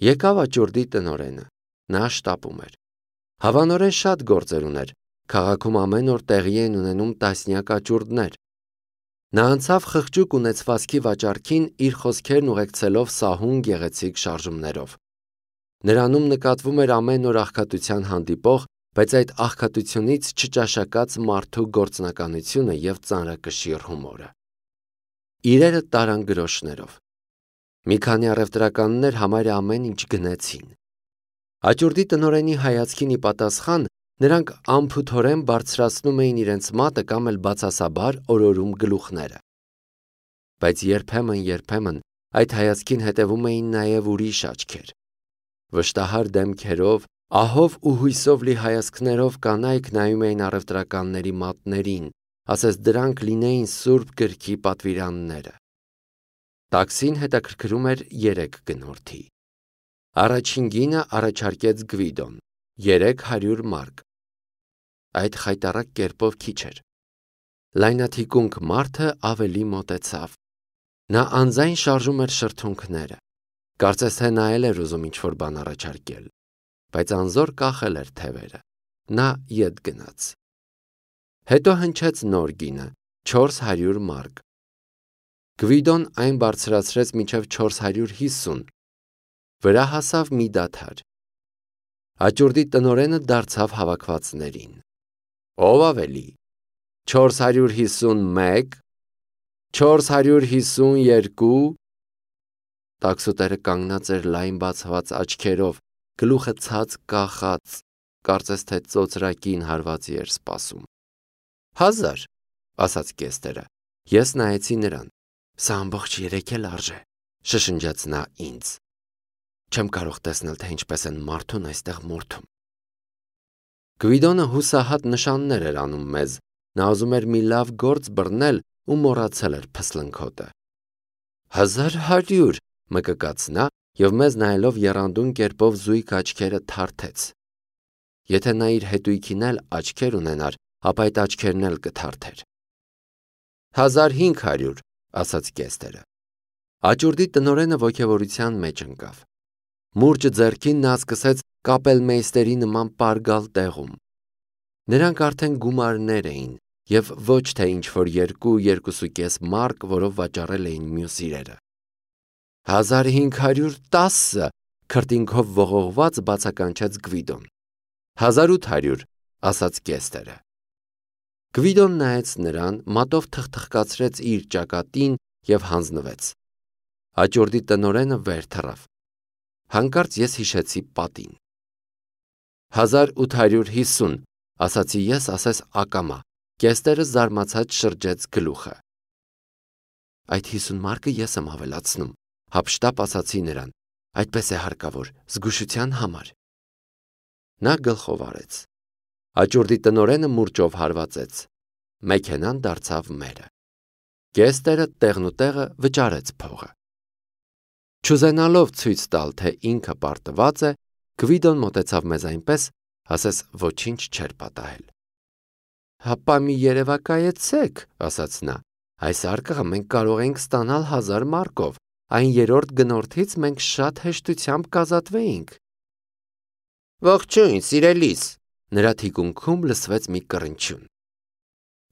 Եկավ աճուրդի տնօրենը, նա շտապում էր։ Հավանորեն շատ գործեր ուներ, քաղաքում ամեն օր տեղի են ունենում տասնյակ աճուրդներ։ Նա անցավ խղճուկ ունեցվածքի վաճառքին իր խոսքերն ուղեկցելով սահուն գեղեցիկ շարժումներով։ Նրանում նկատվում էր ամեն օր աղքատության հանդիպող, բայց այդ աղքատությունից չճաշակած մարդու գործնականությունը և ծանրակշիռ հումորը։ Իրերը տարան գրոշներով։ Մի քանի առևտրականներ համարյա ամեն ինչ գնեցին։ Աճուրդի տնօրենի հայացքին ի պատասխան նրանք անփութորեն բարձրացնում էին իրենց մատը կամ էլ բացասաբար օրորում գլուխները։ Բայց երբեմն այդ հայացքին հետևում էին նաև ուրիշ աչքեր։ Վշտահար դեմքերով, ահով ու հույսով լի հայացքներով կանայք նայում էին առևտրականների մատներին, ասես դրանք լինեին Սուրբ գրքի պատվիրանները։ Տաքսին հետաքրքրում էր 3 գնորդի։ Առաջին գինը առաջարկեց Գվիդոն՝ 300 մարկ։ Այդ խայտառակ կերպով քիչ էր։ Լայնաթիկունք մարդը ավելի մոտեցավ։ Նա անձայն շարժում էր շրթունքները։ Կարծես թե նա էլ էր ուզում ինչ-որ բան առաջարկել, բայց անզոր կախել էր թևերը։ Նա ետ գնաց։ Հետո հնչեց նոր գինը՝ 400 մարկ։ Գվիդոն այն բարձրացրեց մինչև 450, վրա հասավ մի դադար։ Աճուրդի տնօրենը դարձավ հավաքվածներին։ Ով ավելի։ 451, 452։ Տաքսուտերը կանգնած էր լայն բացված աչքերով, գլուխը ցած կախած, կարծես թե ծոծրակին հարվածի էր սպասում։ 1000, ասաց կեստերը։ Ես նայեցի նրան։ Սա ամբողջ 3 էլ արժե, շշնջաց նա ինձ։ Չեմ կարող տեսնել, թե ինչպես են մարդուն այստեղ մորթում։ Գվիդոնը հուսահատ նշաններ էր անում մեզ, նա ուզում էր մի լավ գործ բռնել ու մոռացել էր փսլնքոտը։ 1100, մկկաց նա և մեզ նայելով եռանդուն կերպով զույգ աչքերը թարթեց։ Եթե նա իր հետույքին էլ աչքեր ունենար, ապա այդ աչքերն էլ կթարթեր։ 1500, ասաց կեստերը։ Աճուրդի տնօրենը ոգևորության մեջ ընկավ։ Մուրճը ձեռքին նա սկսեց կապելմեյստերի նման պարգալ տեղում։ Նրանք արդեն գումարներ էին և ոչ թե ինչ-որ 2-2.5 մարկ, որով վաճառել էին մյուս իրերը։ 1510, քրտինքով ողողված բացականչեց Գվիդոն։ 1800, ասաց կեստերը։ Գվիդոն նայեց նրան, մատով թխթխկացրեց իր ճակատին և հանձնվեց։ Աճուրդի տնօրենը վեր թռավ։ Հանկարծ ես հիշեցի պատին։ 1850, ասացի ես ասես ակամա, կեստերը զարմացած շրջեց գլուխը։ Այդ 50 մարկը ես եմ ավելացնում, հափշտապ ասացի նրան, այդպես է հարկավոր, զգուշության համար։ Նա գլխով արեց։ Աճուրդի տնօրենը մուրճով հարվածեց։ Մեքենան դարձավ մերը։ Կեստերը տեղնուտեղը վճարեց փողը։ Չուզենալով ցույց տալ, թե ինքը պարտված է, Գվիդոն մոտեցավ մեզ այնպես, ասես ոչինչ չէր պատահել։ Հապա մի երևակայեցեք, ասաց նա, այս արկղը մենք կարող ենք ստանալ 1000 մարկով, այն 3-րդ գնորդից մենք շատ հեշտությամբ կազատվեինք։ Ողջույն, սիրելիս, նրա թիկունքում լսվեց մի կռնչյուն։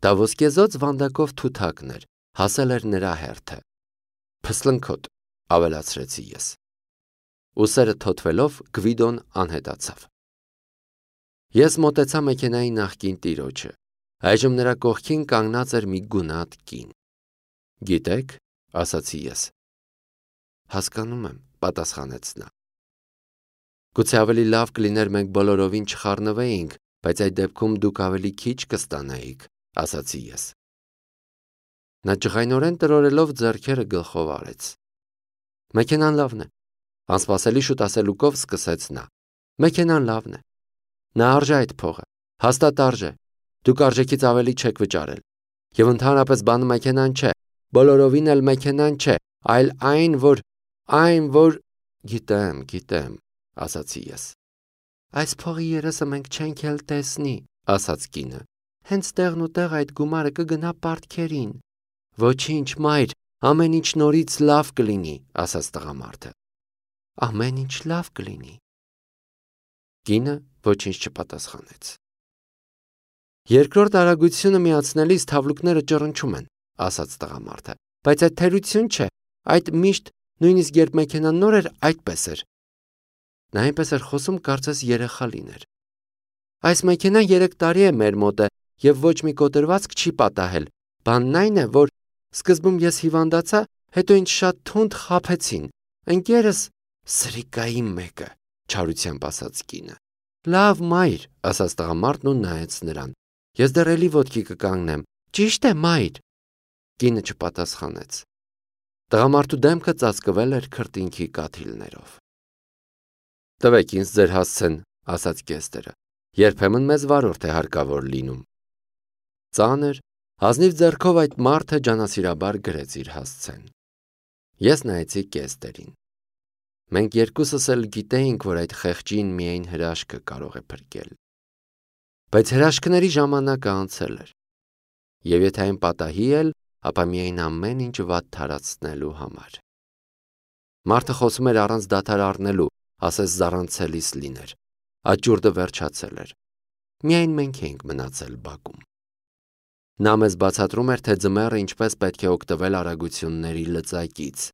Դա ոսկեզօծ վանդակով թութակն էր, հասել էր նրա հերթը։ Փսլնքոտ, ավելացրեցի ես։ Ուսերը թոթվելով Գվիդոն անհետացավ։ Ես մոտեցա մեքենայի նախկին տիրոջը։ Այժմ նրա կողքին կանգնած էր մի գունատ կին։ Գիտեք, ասացի ես։ Հասկանում եմ, պատասխանեց նա։ Գուցե ավելի լավ կլիներ մենք բոլորովին չխառնվեինք, բայց այդ դեպքում դուք ավելի քիչ կստանայիք, ասացի ես։ Նա ջղայնորեն տրորելով ձեռքերը գլխով արեց։ Մեքենան լավն է, անսպասելի շուտ ասելուկով սկսեց նա։ Մեքենան լավն է։ Նա արժե այդ փողը, հաստատ արժե։ Դուք արժեքից ավելի չեք վճարել։ Եվ ընդհանրապես բանը մեքենան չէ, բոլորովին էլ մեքենան չէ, այլ այն, որ Գիտեմ, ասացի ես։ Այս փողի երեսը մենք չենք էլ տեսնի, ասաց կինը։ Հենց տեղնուտեղ այդ գումարը կգնա պարտքերին։ Ոչինչ, մայր, ամեն ինչ նորից լավ կլինի, ասաց տղամարդը։ ամեն ինչ լավ կլինի։ Կինը ոչինչ չպատասխանեց։ Երկրորդ արագությունը միացնելիս թավլուկները ճռնչում են, ասաց տղամարդը, բայց այդ թերություն չէ, այդ միշտ, նույնիսկ երբ մեքենան նոր էր, այդպես էր։ Նա այնպես էր խոսում, կարծես երեխա լիներ։ Այս մեքենան 3 տարի է մեր մոտ է և ոչ մի կոտրվածք չի պատահել։ Բանն այն է, որ սկզբում ես հիվանդացա, հետո ինձ շատ թունդ խաբեցին։ Ընկերս սրիկայի մեկը, չարությամբ ասաց կինը։ Լավ մայր, ասաց տղամարդն ու նայեց նրան։ Ես դեռ էլի ոտքի կկանգնեմ։ Ճիշտ է, մայր։ Կինը չպատասխանեց։ Տղամարդու դեմքը ծածկվել էր քրտինքի կաթիլներով։ Տվեք ինձ ձեր հասցեն, ասաց կեստերը։ Երբեմն մեզ վարորդ է հարկավոր լինում։ Ծանր, հազնիվ ձեռքով այդ մարդը ջանասիրաբար գրեց իր հասցեն։ Ես նայեցի կեստերին։ Մենք երկուսս էլ գիտեինք, որ այդ խեղճին միայն հրաշքը կարող է փրկել։ Բայց հրաշքների ժամանակը անցել էր։ Եվ եթե այն պատահի էլ, ապա միայն ամեն ինչ վատ թարացնելու համար։ Մարդը խոսում էր առանց դադար առնելու, ասես զառանցելիս լիներ։ Աճուրդը վերջացել էր։ Միայն մենք էինք մնացել բակում։ Նա մեզ բացատրում էր, թե ձմեռը ինչպես պետք է օգտվել արագությունների լծակից։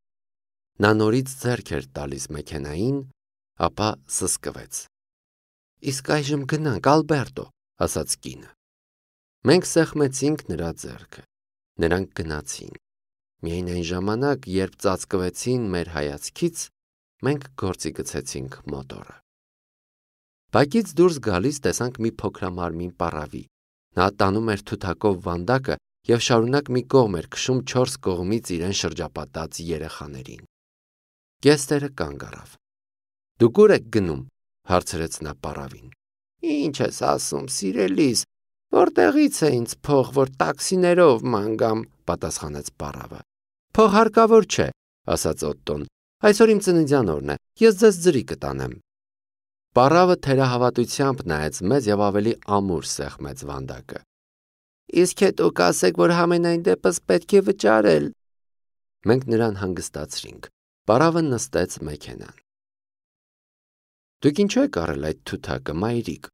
Նա նորից ձեռք էր տալիս մեքենային, ապա սսկվեց։ Իսկ այժմ գնանք, Ալբերտո, ասաց կինը։ Մենք սեղմեցինք նրա ձեռքը։ Նրանք գնացին։ Միայն այն ժամանակ, երբ ծածկվեցին մեր հայացքից, մենք գործի գցեցինք մոտորը։ Բակից դուրս գալիս տեսանք մի փոքրամարմին պառավի։ Նա տանում էր թութակով վանդակը և շարունակ մի կողմ էր քշում 4 կողմից իրեն շրջապատած երեխաներին։ Կեստերը կանգ առավ։ Դուք ուր եք գնում, հարցրեց նա պառավին։ Ինչ ես ասում, սիրելիս, որտեղից է ինձ փող, որ տաքսիներով ման գամ, պատասխանեց պառավը։ Փող հարկավոր չէ, ասաց Օտտոն։ Այսօր իմ ծննդյան օրն է, ես ձեզ ձրի կտանեմ։ Պառավը թերահավատությամբ նայեց մեզ և ավելի ամուր սեղմեց վանդակը։ Իսկ հետո կասեք, որ համենայն դեպս պետք է վճարել։ Մենք նրան հանգստացրինք։ Պառավը նստեց մեքենան։ Դուք ինչու եք առել այդ թութակը, մայրիկ,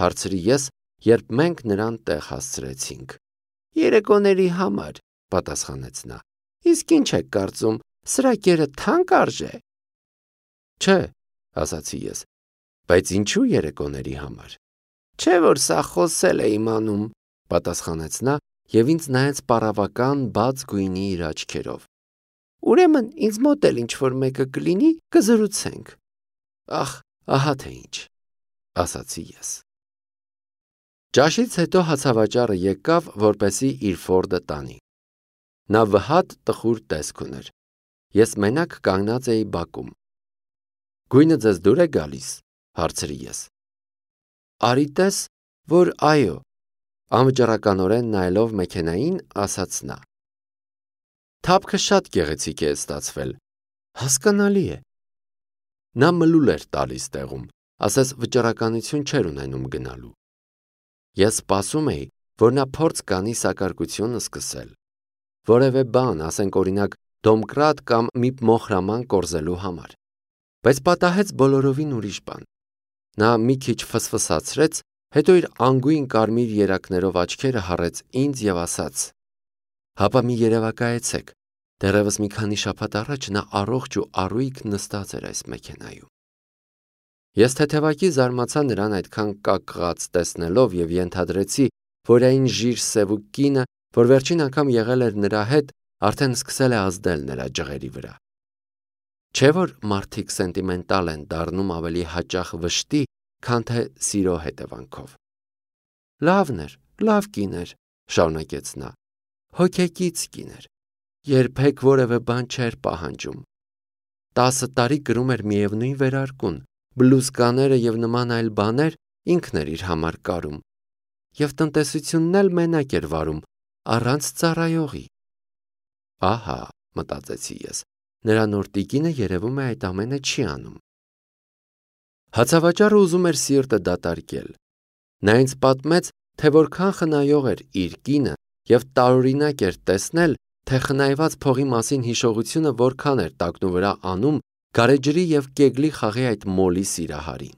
հարցրի ես, երբ մենք նրան տեղ հասցրեցինք։ Երեկոների համար, պատասխանեց նա։ Իսկ ինչ եք կարծում, սրա կերը թանկ արժե։ Չէ, ասացի ես, բայց ինչու երեկոների համար։ Չէ, որ սա խոսել է իմանում, պատասխանեց նա և ինձ նայեց պառավական բաց գույնի իր աչքերով։ Ուրեմն ինձ մոտ էլ ինչ-որ մեկը կլինի, կզրուցենք։ Ախ, ահա թե ինչ, ասացի ես։ Ճաշից հետո հացավաճառը եկավ, որպեսզի իր Ֆորդը տանի։ Նա վհատ տխուր տեսք ուներ։ Ես մենակ կանգնած էի բակում։ Գույնը ձեզ դուր է գալիս, հարցրի ես։ Արի տես, որ այո, անվճռականորեն նայելով մեքենային, ասաց նա։ Թափքը շատ գեղեցիկ է ստացվել, հասկանալի է։ Նա մլուլ էր տալիս տեղում, ասես վճռականություն չէր ունենում գնալու։ Ես սպասում էի, որ նա փորձ կանի սակարկությունը սկսել։ Որևէ բան, ասենք օրինակ, դոմկրատ կամ մի մոխրաման կորզելու համար։ Բայց պատահեց բոլորովին ուրիշ բան։ Նա մի քիչ ֆսֆսացրեց, հետո իր անգույն կարմիր երակներով աչքերը հառեց ինձ և ասաց. Հապա մի երևակայեցեք, դեռևս մի քանի շաբաթ առաջ նա առողջ ու առույգ նստած էր այս մեքենայում։ Ես թեթևակի զարմացա նրան այդքան կակղած տեսնելով և ենթադրեցի, որ այն ժիր սևուկ կինը, որ վերջին անգամ եղել էր նրա հետ, արդեն սկսել է ազդել նրա ջղերի վրա։ Չէ՞ որ մարդիկ սենտիմենտալ են դառնում ավելի հաճախ վշտի, քան թե սիրո հետևանքով։ Լավն էր, լավ կին էր, շարունակեց նա, հոգեկից կին էր, երբեք որևէ բան չէր պահանջում։ 10 տարի կրում էր միևնույն վերարկուն, բլուզկաները և նման այլ բաներ ինքն էր իր համար կարում, և տնտեսությունն էլ մենակ էր վարում, առանց ծառայողի։ Ահա, մտածեցի ես, նրա նոր տիկինը երևում է այդ ամենը չի անում։ Հացավաճառը ուզում էր սիրտը դատարկել։ Նա ինձ պատմեց, թե որքան խնայող էր իր կինը և տարօրինակ էր տեսնել, թե խնայված փողի մասին հիշողությունը որքան էր տակնուվրա անում գարեջրի և կեգլի խաղի այդ մոլի սիրահարին։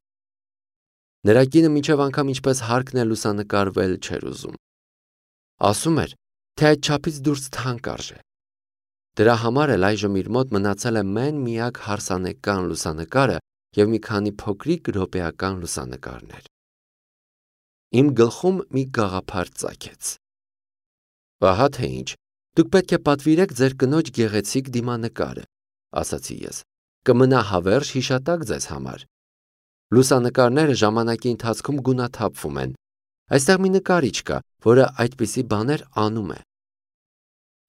Նրա կինը մինչև անգամ ինչպես հարկն է լուսանկարվել չէր ուզում։ Ասում էր, թե այդ չափից դուրս թանկ արժե։ Դրա համար էլ այժմ իր մոտ մնացել է մեն-միակ հարսանեկան լուսանկարը և մի քանի փոքրիկ րոպեական լուսանկարներ։ Իմ գլխում մի գաղափար ծագեց։ Ահա թե ինչ, դուք պետք է պատվիրեք ձեր կնոջ գեղեցիկ դիմանկարը, ասացի ես, կմնա հավերժ հիշատակ ձեզ համար։ Լուսանկարները ժամանակի ընթացքում գունաթափվում են։ Այստեղ մի նկարիչ կա, որը այդպիսի բաներ անում է։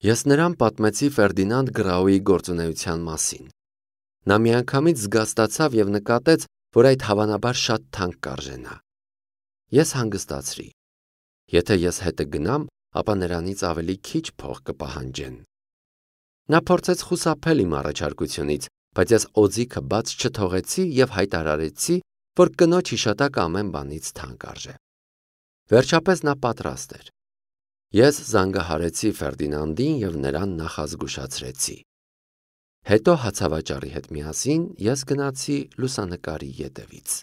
Ես նրան պատմեցի Ֆերդինանդ Գրաուի գործունեության մասին։ Նա միանգամից զգաստացավ և նկատեց, որ այդ հավանաբար շատ թանկ կարժենա։ Ես հանգստացրի։ Եթե ես հետը գնամ, ապա նրանից ավելի քիչ փող կպահանջեն։ Նա փորձեց խուսափել իմ առաջարկությունից, բայց ես օձիքը բաց չթողեցի և հայտարարեցի, որ կնոջ հիշատակը ամեն բանից թանկ արժե։ Վերջապես նա պատրաստ էր։ Ես զանգահարեցի Ֆերդինանդին և նրան նախազգուշացրեցի։ Հետո հացավաճառի հետ միասին ես գնացի լուսանկարի ետևից։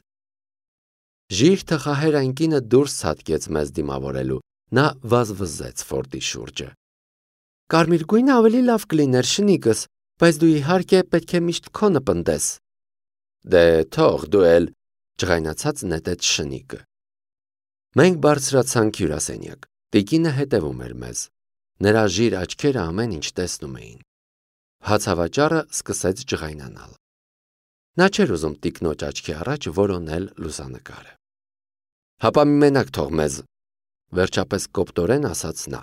Ժիր թխահեր այն կինը դուրս ցատկեց մեզ դիմավորելու, նա վազվզեց Ֆորդի շուրջը։ Կարմիր գույնը ավելի լավ կլիներ, շնիկս, բայց դու իհարկե պետք է միշտ քոնը պնդես։ Դե թող դու էլ, ջղայնացած նետեց շնիկը։ Մենք բարձրացանք հյուրասենյակ։ Տիկինը հետևում էր մեզ։ Նրա ժիր աչքերը ամեն ինչ տեսնում էին։ Հացավաճառը սկսեց ջղայնանալ։ Նա չէր ուզում տիկնոջ աչքի առաջ որոնել լուսանկարը։ Հապա մի մենակ թող մեզ, վերջապես կոպտորեն ասաց նա։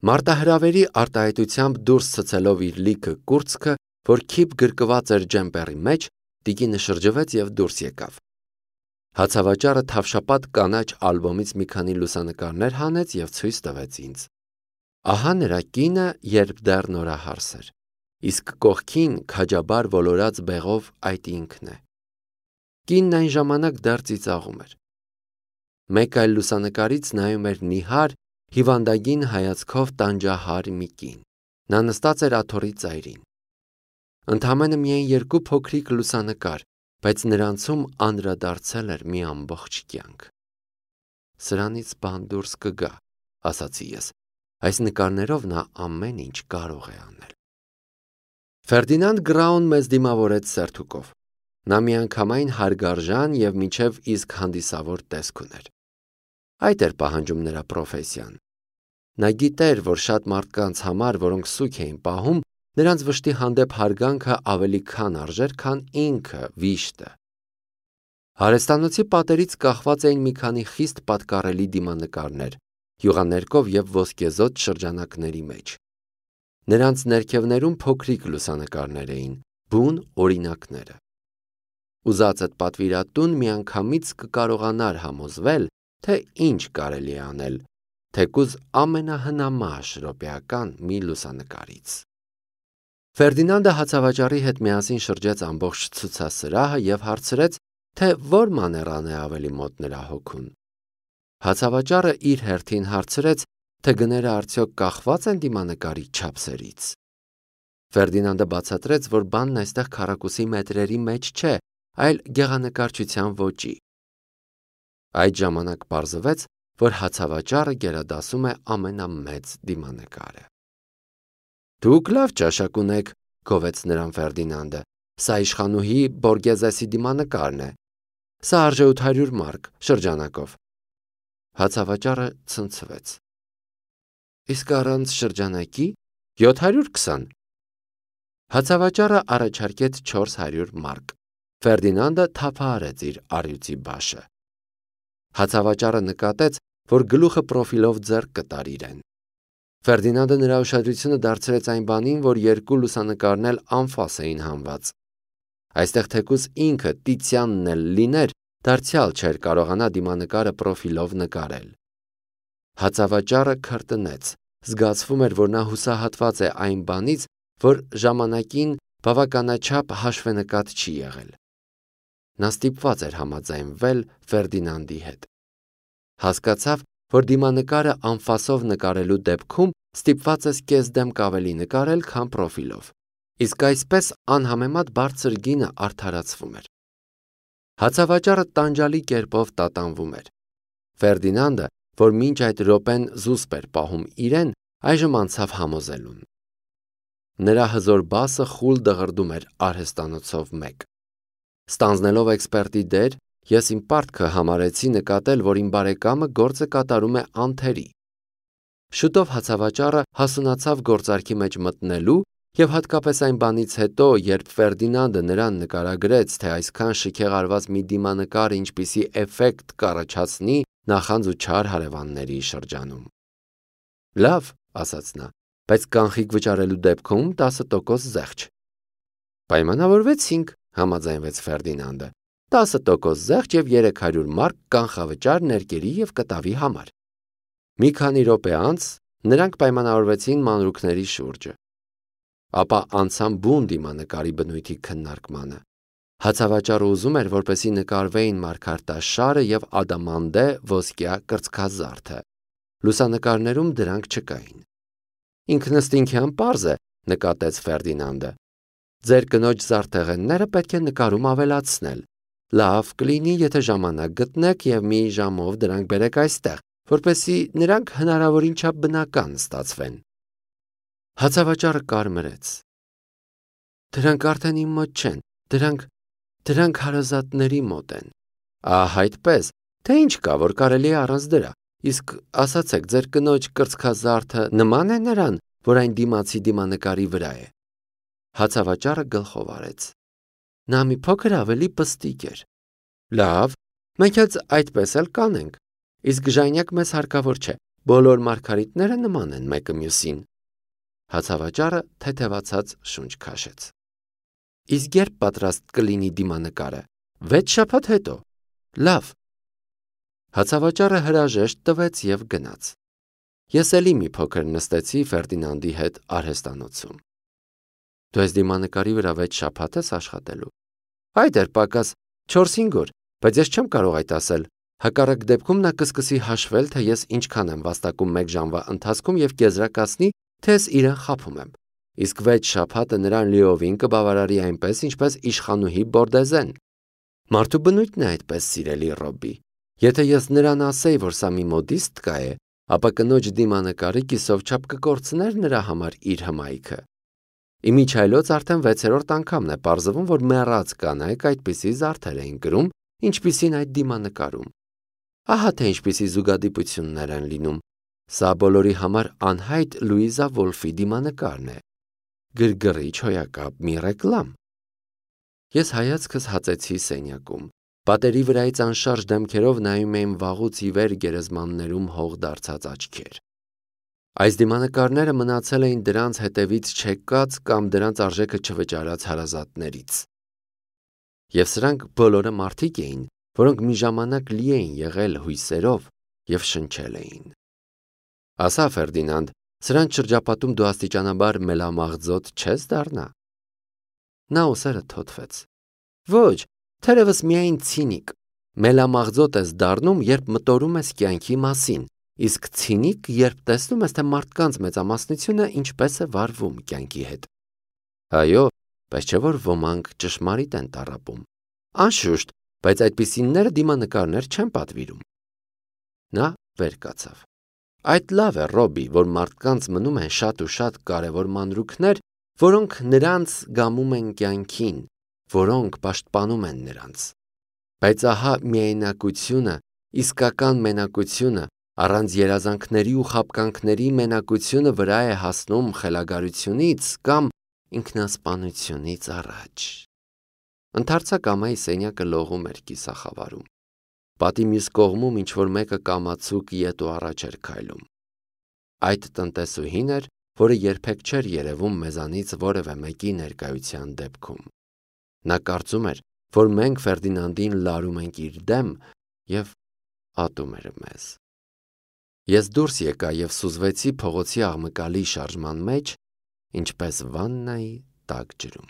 Մարտահրավերի արտահայտությամբ դուրս ցցելով իր լիքը կուրծքը, որ քիփ գրկված էր ջեմպերի մեջ, տիկինը շրջվեց և դուրս եկավ։ Հացավաճառը թավշապատ կանաչ ալբոմից մի քանի լուսանկարներ հանեց և ցույց տվեց ինձ։ Ահա նրա կինը, երբ դեռ նորահարս էր, իսկ կողքին քաջաբար ոլորած բեղով այդ ինքն է։ Կինն այն ժամանակ դեռ ծիծաղում էր։ Մեկ այլ լուսանկարից նայում էր նիհար, հիվանդագին հայացքով տանջահար մի կին։ Նա նստած էր աթոռի ծայրին։ Ընդամենը միայն երկու փոքրիկ լուսանկար, բայց նրանցում անդրադարձել էր մի ամբողջ կյանք։ Սրանից բան դուրս կգա, ասացի ես։ Այս նկարներով նա ամեն ինչ կարող է անել։ Ֆերդինանդ Գրաուն մեզ դիմավորեց սերթուկով։ Նա միանգամայն հարգարժան և մինչև իսկ հանդիսավոր տեսք ուներ։ Այդ էր պահանջում նրա պրոֆեսիան։ Նա գիտեր, որ շատ մարդկանց համար, որոնք սուգ էին պահում, նրանց վշտի հանդեպ հարգանքը ավելի քան արժեր, քան ինքը վիշտը։ Հարեստանոցի պատերից կախված էին մի քանի խիստ պատկառելի դիմանկարներ, յուղաներկով և ոսկեզօծ շրջանակների մեջ։ Նրանց ներքևներում փոքրիկ լուսանկարներ էին, բուն օրինակները։ Ուզածդ պատվիրատուն միանգամից կկարողանար համոզվել, թե ինչ կարելի է անել, թեկուզ ամենահնամաշ րոպեական մի լուսանկարից։ Ֆերդինանդը հացավաճառի հետ միասին շրջեց ամբողջ ցուցասրահը և հարցրեց, թե որ մաներան է ավելի մոտ նրա հոգուն։ Հացավաճառը իր հերթին հարցրեց, թե գները արդյոք կախված են դիմանկարի չափսերից։ Ֆերդինանդը բացատրեց, որ բանն այստեղ քառակուսի մետրերի մեջ չէ, այլ գեղանկարչության ոճի։ Այդ ժամանակ պարզվեց, որ հացավաճառը գերադասում է ամենամեծ դիմանկարը։ Դուք լավ ճաշակ ունեք, գովեց նրան Ֆերդինանդը։ Սա իշխանուհի Բորգեզեսի դիմանկարն է։ Սա արժե 800 մարկ շրջանակով։ Հացավաճառը ցնցվեց։ Իսկ առանց շրջանակի 720։ Հացավաճառը առաջարկեց 400 մարկ։ Ֆերդինանդը թափահարեց իր առյուծի բաշը։ Հացավաճառը նկատեց, որ գլուխը պրոֆիլով ձեռք կտար իրեն։ Ֆերդինանդը նրա ուշադրությունը դարձրեց այն բանին, որ երկու լուսանկարն էլ անֆաս էին հանված։ Այստեղ թեկուզ ինքը Տիցյանն էլ լիներ, դարձյալ չէր կարողանա դիմանկարը պրոֆիլով նկարել։ Հացավաճառը քրտնեց, զգացվում էր, որ նա հուսահատված է այն բանից, որ ժամանակին բավականաչափ հաշվենկատ չի եղել։ Նա ստիպված էր համաձայնվել Ֆերդինանդի հետ։ Հասկացավ, որ դիմանկարը անֆասով նկարելու դեպքում ստիպված ես կեսդեմք ավելի նկարել, քան պրոֆիլով։ Իսկ այսպես անհամեմատ բարձր գինը արդարացվում էր։ Հացավաճառը տանջալի կերպով տատանվում էր։ Ֆերդինանդը, որ մինչ այդ րոպեն զուսպ էր պահում իրեն, այժմ անցավ համոզելուն։ Նրա հզոր բասը խուլ դղրդում էր արհեստանոցով մեկ։ Ստանձնելով էքսպերտի դեր, ես իմ պարտքը համարեցի նկատել, որ իմ բարեկամը գործը կատարում է անթերի։ Շուտով հացավաճառը հասունացավ գործարքի մեջ մտնելու և հատկապես այն բանից հետո, երբ Ֆերդինանդը նրան նկարագրեց, թե այսքան շքեղ արված մի դիմանկար ինչպիսի էֆեկտ կառաջացնի նախանձ ու չար հարևանների շրջանում։ Լավ, ասաց նա, բայց կանխիկ վճարելու դեպքում 10% զեղչ։ Պայմանավորվեցինք, համաձայնվեց Ֆերդինանդը, 10% զեղչ և 300 մարկ կանխավճար ներկերի և կտավի համար։ Մի քանի րոպե անց նրանք պայմանավորվեցին մանրուքների շուրջը։ Ապա անցան բուն դիմանկարի բնույթի քննարկմանը։ Հացավաճառը ուզում էր, որպեսզի նկարվեին մարգարտաշարը և ադամանդե ոսկյա կրծքազարդը։ Լուսանկարներում դրանք չկային։ Ինքնըստինքյան պարզ է, նկատեց Ֆերդինանդը։ Ձեր կնոջ զարդեղենները պետք է նկարում ավելացնել։ Լավ կլինի, եթե ժամանակ գտնեք և մի ժամով դրանք բերեք այստեղ, որպեսզի նրանք հնարավորին չափ բնական ստացվեն։ Հացավաճառը կարմրեց։ Դրանք արդեն իմ մոտ չեն, դրանք հարազատների մոտ են։ Ահ, այդպես, թե ինչ կա, որ կարելի է առանց դրա։ Իսկ ասացեք, ձեր կնոջ կրծքազարդը նման է նրան, որ այն դիմացի դիմանկարի վրա է։ Հացավաճառը գլխով արեց։ Նա մի փոքր ավելի պստիկ էր։ Լավ, մենք էլ այդպես էլ կանենք։ Իսկ ժանյակ մեզ հարկավոր չէ։ Բոլոր մարգարիտները նման են մեկը մյուսին։ Հացավաճառը թեթևացած շունչ քաշեց։ Իսկ երբ պատրաստ կլինի դիմանկարը։ 6 շաբաթ հետո։ Լավ։ Հացավաճառը հրաժեշտ տվեց և գնաց։ Ես էլի մի փոքր նստեցի Ֆերդինանդի հետ արհեստանոցում։ Դու այս դիմանկարի վրա 6 շաբաթ ես աշխատելու։ Այդ էր պակաս 4-5 օր, բայց ես չեմ կարող այդ ասել։ Հակառակ դեպքում նա կսկսի հաշվել, թե ես ինչքան եմ վաստակում 1 ժամվա ընթացքում և կեզրակացնի, թե ես իրեն խաբում եմ։ Իսկ 6 շաբաթը նրան լիովին կբավարարի այնպես, ինչպես իշխանուհի Բորդեզեն։ Մարդու բնույթն է այդպես, սիրելի Ռոբի։ Եթե ես նրան ասեի, որ սա մի մոդիստկա է, ապա կնոջ դիմանկարը կիսով չափ կկորցներ նրա համար իր հմայքը։ Իմիջայլոց արդեն 6-րդ անգամն է պարզվում, որ մեռած կանայք այդպիսի զարդեր էին կրում, ինչպիսին այդ դիմանկարում։ Ահա թե ինչպիսի զուգադիպություններ են լինում։ Սա բոլորի համար անհայտ Լուիզա Վոլֆի դիմանկարն է։ Գրգռիչ հոյակապ մի ռեկլամ։ Ես հայացքս հացեցի սենյակում։ Պատերի վրայից անշարժ դեմքերով նայում էին վաղուց ի վեր գերեզմաններում հող դարձած աչքեր։ Այս դիմանկարները մնացել էին դրանց հետևից չեկած կամ դրանց արժեքը չվճարած հարազատներից։ Եվ սրանք բոլորը մարդիկ էին, որոնք մի ժամանակ լի էին եղել հույսերով և շնչել էին։ Ասա, Ֆերդինանդ, սրանց շրջապատում դու աստիճանաբար մելամաղձոտ չես դառնա։ Նա ուսերը թոթվեց։ Ոչ, թերևս միայն ցինիկ։ Մելամաղձոտ ես դառնում, երբ մտորում ես կյանքի մասին, իսկ ցինիկ, երբ տեսնում ես, թե մարդկանց մեծամասնությունը ինչպես է վարվում կյանքի հետ։ Այո, բայց չէ որ ոմանք ճշմարիտ են տառապում։ Անշուշտ, բայց այդպիսինները դիմանկարներ չեն պատվիրում։ Նա վեր կացավ։ Այդ լավ է, Ռոբի, որ մարդկանց մնում են շատ ու շատ կարևոր մանրուքներ, որոնք նրանց գամում են կյանքին, որոնք պաշտպանում են նրանց։ Բայց ահա միայնակությունը, իսկական մենակությունը, առանց երազանքների ու խաբկանքների մենակությունը վրա է հասնում խելագարությունից կամ ինքնասպանությունից առաջ։ Ընդարձակ ամայի սենյակը լողում էր կիսախավարում։ Պատի մյուս կողմում ինչ-որ մեկը կամացուկ ետ ու առաջ էր քայլում։ Այդ տնտեսուհին էր, որը երբեք չէր երևում մեզանից որևէ մեկի ներկայության դեպքում։ Նա կարծում էր, որ մենք Ֆերդինանդին լարում ենք իր դեմ և ատում էր մեզ։ Ես դուրս եկա և սուզվեցի փողոցի աղմկալի շարժման մեջ, ինչպես վաննայի տաք ջրում։